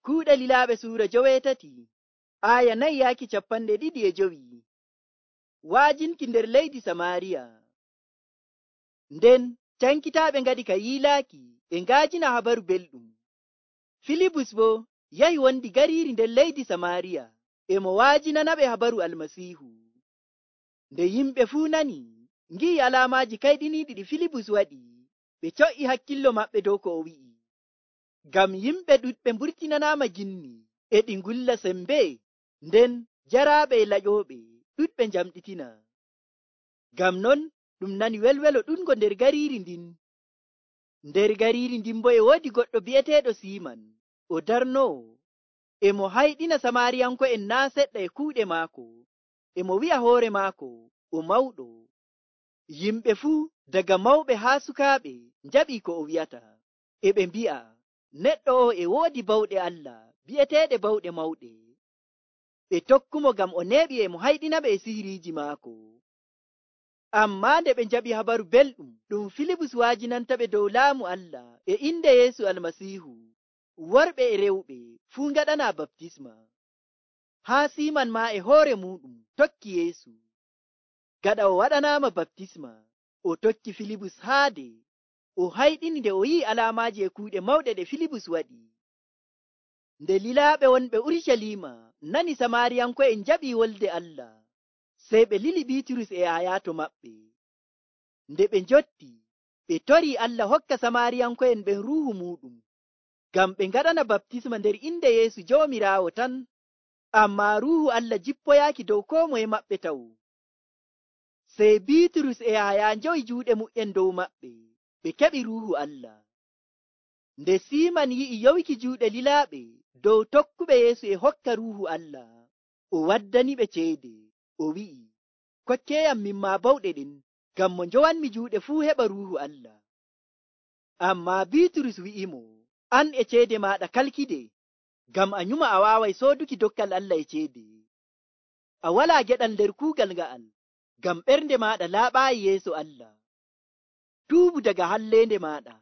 Kuuɗe Lilaaɓe Suura 17 aya 4:2. Waajinki nder leydi Samaariya. Nden cankitaaɓe ngaɗi ka yiilaaki e ngaajina habaru belɗum. Filibus boo yahi wondi gariiri nder leydi Samaariya e mo waajinanaɓe habaru Almasiihu. Nde yimɓe fuu nani ngi'i alaamaaji kayɗiniiɗi ɗi Filibus waɗi, ɓe co'i hakkillo maɓɓe dow ko o wi'i. Ngam yimɓe ɗuɗɓe mburtinanaama ginni e ɗi ngulla sembe, nden jaraaɓe e laƴooɓe ɗuɗɓe njamɗitina. Ngam non ɗum nani welwelo ɗuɗngo nder gariiri ndin. Nder gariiri ndin boo e woodi goɗɗo bi'eteeɗo Siiman, o darnoowo, e mo hayɗina Samaariyanko'en naa' seɗɗa e kuuɗe maako, e mo wi'a hoore maako o mawɗo. Yimɓe fuu daga mawɓe haa sukaaɓe njaɓii ko o wi'ata, e ɓe mbi'a, neɗɗo o e woodi bawɗe Allah bi'eteeɗe bawɗe mawɗe. Ɓe tokkumo ngam o neeɓi e mo hayɗinaɓe e sihiriiji maako. Ammaa nde ɓe njaɓi habaru belɗum ɗum Filibus waajinantaɓe dow laamu Allah e inde Yeesu Almasiihu, worɓe e rewɓe fuu ngaɗanaa baptisma. Haa Siiman maa e hoore muuɗum tokki Yeesu. Gaɗa o waɗanaama baptisma, o tokki Filibus haade, o hayɗini nde o yi'i alaamaaji e kuuɗe mawɗe ɗe Filibus waɗi. Nde lilaaɓe wonɓe Urucaliima nani Samaariyanko'en njaɓii wolde Allah, sey ɓe lili Biiturus e Yahaya to maɓɓe. Nde ɓe njotti, ɓe torii Allah hokka Samaariyanko'en ɓen ruuhu muuɗum, ngam ɓe ngaɗana baptisma nder inde Yeesu Joomiraawo tan, ammaa ruuhu Allah jippoyaaki dow koo moye maɓɓe taw. Sey Biiturus e Yahaya njowi juuɗe mu'en dow maɓɓe, ɓe keɓi ruuhu Allah. Nde Siiman yi'i yowiki juuɗe lilaaɓe dow tokkuɓe Yeesu e hokka ruuhu Allah, o waddaniɓe ceede, o wi'i, kokkeeyam min maa bawɗe ɗen, ngam mo njowanmi juuɗe fuu heɓa ruuhu Allah. Ammaa Biiturus wi'imo, an e ceede maaɗa kalkide, ngam a nyuma a waaway sooduki dokkal Allah e ceede. A walaa geɗal nder kuugal nga'al, ngam ɓernde maaɗa laaɓaayi yeeso Allah. Tuubu daga halleende maaɗa,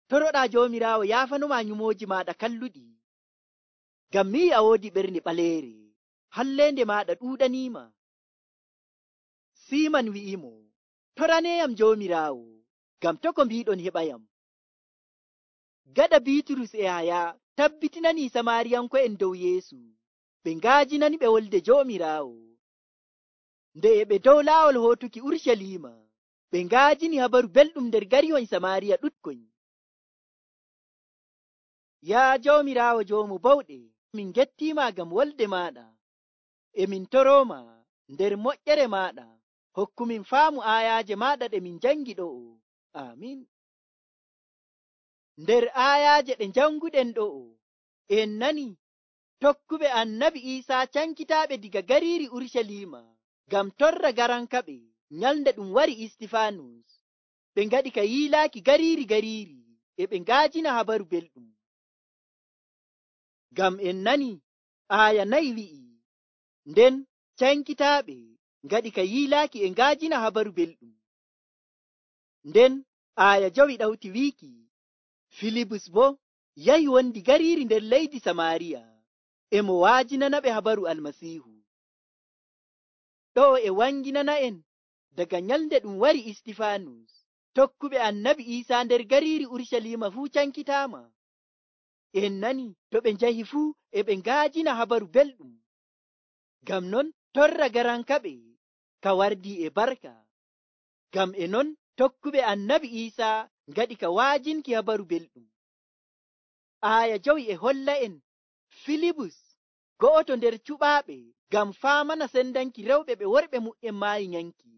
toroɗaa Joomiraawo yaafanomaa nyumooji maaɗa kalluɗi. Ngam mi yi'i a woodi ɓernde ɓaleere, halleende maaɗa ɗuuɗaniima. Siiman wi'imo, toraneeyam Joomiraawo, ngam to ko mbiiɗon heɓayam. Gaɗa Biiturus e Yahaya tabbitinanii Samaariyanko'en dow Yeesu, ɓe ngaajinaniɓe wolde Joomiraawo. Nde e ɓe dow laawol hootuki Urucaliima, ɓe ngaajini habaru belɗum nder garihoy Samaariya ɗuɗkoy. Yaa Joomiraawo Joomu bawɗe, min gettiima ngam wolde maaɗa, e min torooma nder moƴƴere maaɗa, hokkumin faamu aayaaje maaɗa ɗe min jangi ɗo'o. Aamin. Nder aayaaje ɗe janguɗen ɗo'o, en nani tokkuɓe Annabi Iisaa cankitaaɓe diga gariiri Urucaliima ngam torra garankaɓe nyalnde ɗum wari Istifaanus. Ɓe ngaɗi ka yiilaaki gariiri gariiri, e ɓe ngaajina habaru belɗum. Ngam en nani aaya 4 wi'i, nden cankitaaɓe ngaɗi ka yiilaaki e ngaajina habaru belɗum. Nden aaya 5 ɗawti wiiki, Filibus boo yahi wondi gariiri nder leydi Samaariya, e mo waajinanaɓe habaru Almasiihu. Ɗo'o e wanginana'en daga nyalnde ɗum wari Istifaanus, tokkuɓe Annabi Iisaa nder gariiri Urucaliima fuu cankitaama. En nani to ɓe njahi fuu e ɓe ngaajina habaru belɗum. Ngam non torra garankaɓe ka wardii e barka. Ngam e non tokkuɓe Annabi Iisaa ngaɗi ka waajinki habaru belɗum. Aaya 5 e holla en Filibus go'oto nder cuɓaaɓe ngam faamana sendanki rewɓe ɓe worɓe mu'en maayi nyanki.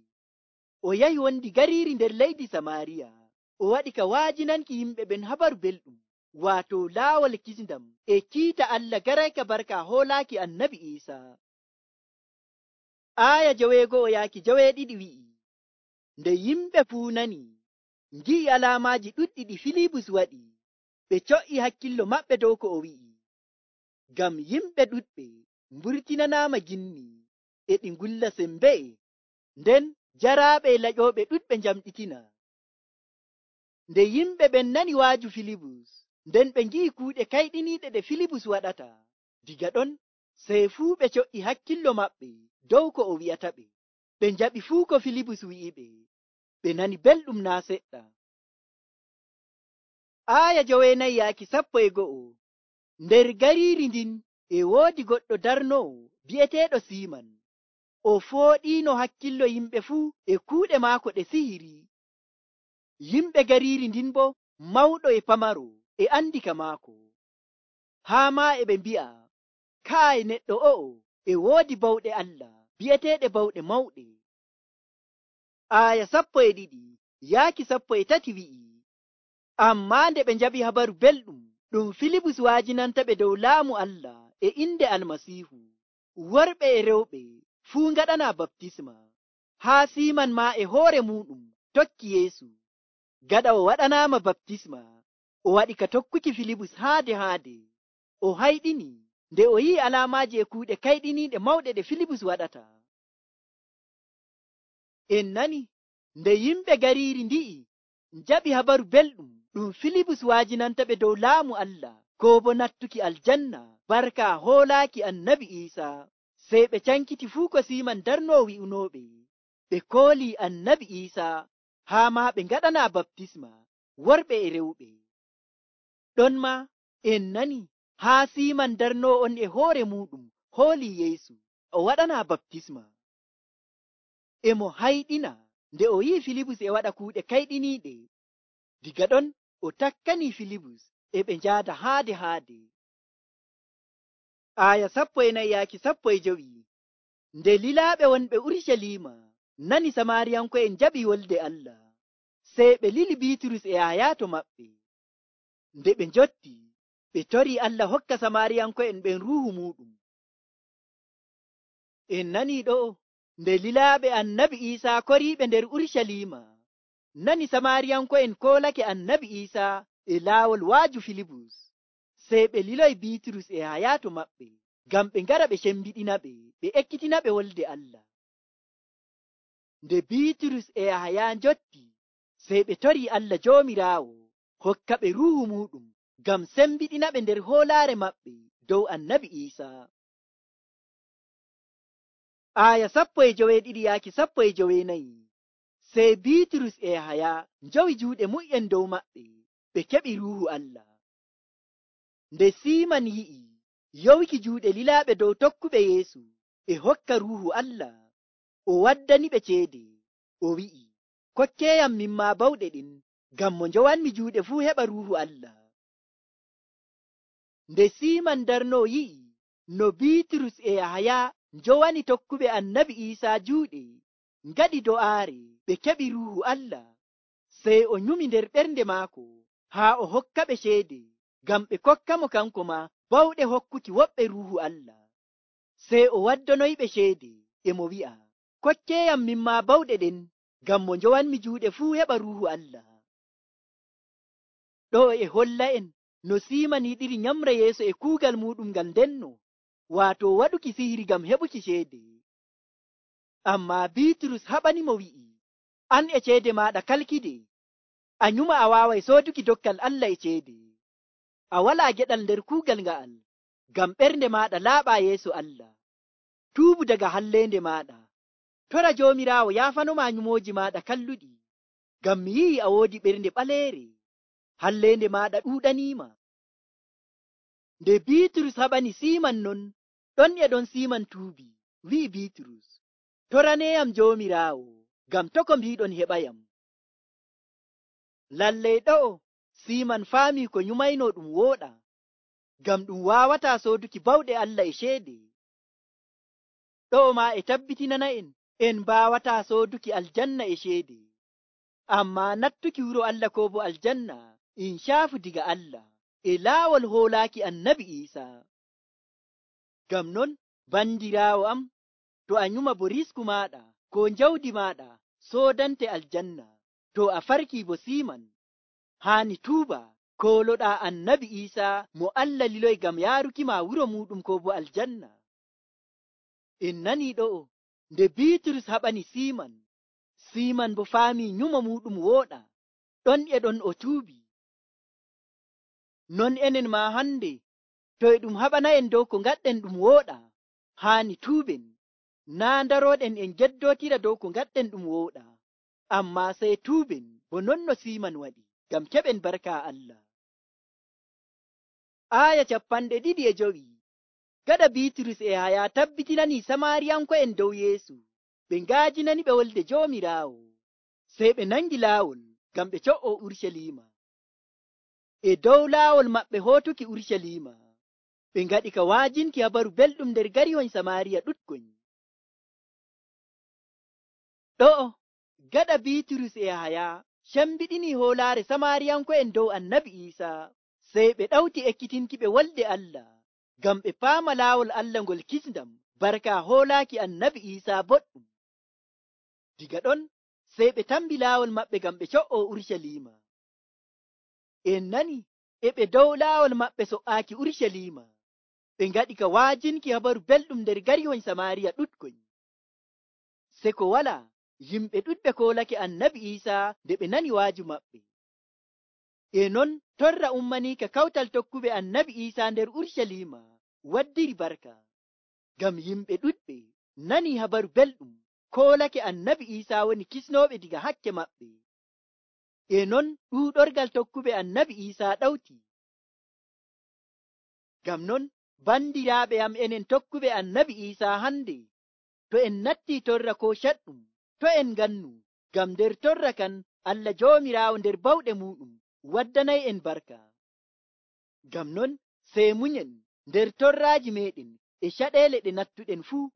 O yahi wondi gariiri nder leydi Samaariya, o waɗi ka waajinanki yimɓe ɓen habaru belɗum, waato laawol kisndam e kiita Allah garayka barka hoolaaki Annabi Iisaa. Aaya 9-12 wi'i, nde yimɓe fuu nani, ngi'i alaamaaji ɗuɗɗi ɗi Filibus waɗi, ɓe co'i hakkillo maɓɓe dow ko o wi'i. Ngam yimɓe ɗuɗɓe mburtinanaama ginni e ɗi ngulla sembe, nden jaraaɓe e laƴooɓe ɗuɗɓe njamɗitina. Nde yimɓe ɓen nani waaju Filibus, nden ɓe ngi'i kuuɗe kayɗiniiɗe ɗe Filibus waɗata. Diga ɗon sey fuu ɓe co'i hakkillo maɓɓe dow ko o wi'ata ɓe. Ɓe njaɓi fuu ko Filibus wi'iɓe. Ɓe nani belɗum naa seɗɗa. Aaya 9:11. Nder gariiri ndin e woodi goɗɗo darnowo bi'eteeɗo Siiman. O fooɗiino hakkillo yimɓe fuu e kuuɗe maako ɗe sihiri. Yimɓe gariiri ndin boo mawɗo e pamaro e andi ka maako. Haa maa e ɓe mbi'a, kaay neɗɗo o'o e woodi bawɗe Allah bi'eteeɗe bawɗe mawɗe. Aaya 12:13 wi'i, ammaa nde ɓe njaɓi habaru belɗum ɗum Filibus waajinanta ɓe dow laamu Allah e inde Almasiihu, worɓe e rewɓe fuu ngaɗanaa baptisma. Haa Siiman maa e hoore muuɗum tokki Yeesu. Gaɗa o waɗanaama baptisma, o waɗi ka tokkuki Filibus haade. O hayɗini nde o yi'i alaamaaji e kuuɗe kayɗiniiɗe mawɗe ɗe Filibus waɗata. En nani nde yimɓe gariiri ndi'i njaɓi habaru belɗum ɗum Filibus waajinanta ɓe dow laamu Allah koo bo nattuki aljanna barka hoolaaki Annabi Iisaa, sey ɓe cankiti fuu ko Siiman darnoo wi'unooɓe. Ɓe koolii Annabi Iisaa haa maa ɓe ngaɗanaa baptisma, worɓe e rewɓe. Ɗon maa en nani haa Siiman darnoo on e hoore muuɗum hoolii Yeesu, o waɗanaa baptisma. E mo hayɗina nde o yi'i Filibus e waɗa kuuɗe kayɗiniiɗe. Diga ɗon o takkanii Filibus e ɓe njaada haade. Aaya 14:15. Nde lilaaɓe wonɓe Urucaliima nani Samaariyanko'en njaɓi wolde Allah, sey ɓe lili Biiturus e Yahaya to maɓɓe. Nde ɓe njotti, ɓe torii Allah hokka Samaariyanko'en ɓen ruuhu muuɗum. En nanii ɗo nde lilaaɓe Annabi Iisaa koriiɓe nder Urucaliima nani Samaariyanko'en koolake Annabi Iisaa e laawol waaju Filibus, sey ɓe liloyi Biiturus e Yahaya to maɓɓe ngam ɓe ngara ɓe cembiɗina ɓe, ɓe ekkitina ɓe wolde Allah. Nde Biiturus e Yahaya njotti, sey ɓe torii Allah Joomiraawo hokka ɓe ruuhu muuɗum ngam sembiɗina ɓe nder hoolaare maɓɓe dow Annabi Iisaa. Aaya 19:14. Sey Biiturus e Yahaya njowi juuɗe mu'en dow maɓɓe, ɓe keɓi ruuhu Allah. Nde Siiman yi'i yowiki juuɗe lilaaɓe dow tokkuɓe Yeesu e hokka ruuhu Allah, o waddani ɓe ceede. O wi'i, kokkeeyam min maa bawɗe ɗin, ngam mo njowanmi juuɗe fuu heɓa ruuhu Allah. Nde Siiman darnoo yi'i no Biiturus e Yahaya njowani tokkuɓe Annabi Iisaa juuɗe ngaɗi do'aare ɓe keɓi ruuhu Allah, sey o nyumi nder ɓernde maako haa o hokka ɓe ceede ngam ɓe kokka mo kanko maa bawɗe hokkuki woɓɓe ruuhu Allah. Sey o waddonoyɓe ceede e mo wi'a, kokkeeyam min maa bawɗe ɗen, ngam mo njowanmi juuɗe fuu heɓa ruuhu Allah. Ɗo e holla en no Siiman yiɗiri nyamra Yeesu e kuugal muuɗum ngal ndenno, waato waɗuki sihiri ngam heɓuki ceede. Ammaa Biiturus haɓani mo wi'i, an e ceede maaɗa kalkide, a nyuma a waaway sooduki dokkal Allah e ceede. A walaa geɗal nder kuugal nga'al, ngam ɓernde maaɗa laaɓaa yeeso Allah. Tuubu daga halleende maaɗa. Tora Joomiraawo yaafanomaa nyumooji maaɗa kalluɗi, ngam mi yi'i a woodi ɓernde ɓaleere, halleende maaɗa ɗuuɗaniima. Nde Biiturus haɓani Siiman non, ɗon e ɗon Siiman tuubi, wi'i Biiturus, toraneeyam Joomiraawo, ngam to ko mbiiɗon heɓayam. Lallay ɗo'o Siiman faamii ko nyumaynoo ɗum wooɗa, ngam ɗum waawataa sooduki bawɗe Allah e ceede. Ɗo'o maa e tabbitinana en mbaawataa sooduki aljanna e ceede, ammaa nattuki wuro Allah koo bo aljanna in caafu diga Allah e laawol hoolaaki Annabi Iisaa. Ngam non bandiraawo am, to a nyuma bo risku maaɗa koo njawdi maaɗa soodante aljanna, to a farkii bo Siiman, haani tuuba kooloɗaa Annabi Iisaa mo Allah liloy ngam yaaruki maa wuro muuɗum koo bo aljanna. En nanii ɗo'o nde Biiturus haɓani Siiman, Siiman bo faamii nyumo muuɗum wooɗa, ɗon e ɗon o tuubi. non enen ma hande to e ɗum haɓana'en dow ko ngaɗɗen ɗum wooɗa, haani tuuɓen, naa ndaroɗen en geddotira dow ko ngaɗɗen ɗum wooɗa, amma sey tuuɓen bo non no Siiman waɗi, ngam keɓen barka Allah. Aya 25. Gaɗa Biiturus e Yahaya tabbitinani Samaariyanko'en dow Yeesu, ɓe ngaajinani ɓe wolde Joomiraawo, sey ɓe nangi laawol ngam ɓe co'oo Urucaliima. E dow laawol maɓɓe hootuki Urucaliima, ɓe ngaɗi ka waajinki habaru belɗum nder garihoy Samaariya ɗuɗkoy. Ɗo'o gaɗa Biiturus e Yahaya cembiɗini hoolaare Samaariyanko'en dow Annabi Iisaa, sey ɓe ɗawti ekkitinki ɓe wolde Allah, ngam ɓe paama laawol Allah ngol kisndam barka hoolaaki Annabi Iisaa boɗɗum. Diga ɗon sey ɓe tambi laawol maɓɓe ngam ɓe co'oo Urucaliima. En nani e ɓe dow laawol maɓɓe so''aaki Urucaliima, ɓe ngaɗi ka waajinki habaru belɗum nder garihoy Samaariya ɗuɗkoy. Se ko walaa, yimɓe ɗuɗɓe koolake Annabi Iisaa nde ɓe nani waaju maɓɓe. E non torra ummaniika kawtal tokkuɓe Annabi Iisaa nder Urucaliima waddiri barka, ngam yimɓe ɗuɗɓe nani habaru belɗum koolake Annabi Iisaa woni kisnooɓe diga hakke maɓɓe. E non ɗuuɗorgal tokkuɓe Annabi Iisaa ɗawti. Ngam non bandiraaɓe am, enen tokkuɓe Annabi Iisaa hande, to en nattii torra koo caɗɗum, to en ngannu, ngam nder torra kan Allah Joomiraawo nder bawɗe muuɗum waddanay'en barka. Ngam non sey munyen nder torraaji meeɗen e caɗeele ɗe nattuɗen fuu.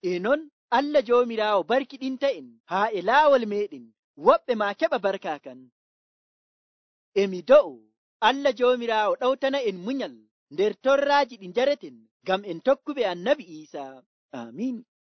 E non Allah Joomiraawo barkiɗinta'en haa e laawol meeɗen, woɓɓe maa keɓa barka kan. E mi do'o Allah Joomiraawo ɗawtana'en munyal nder torraaji ɗi njareten, ngam en tokkuɓe Annabi Iisaa. Amiin.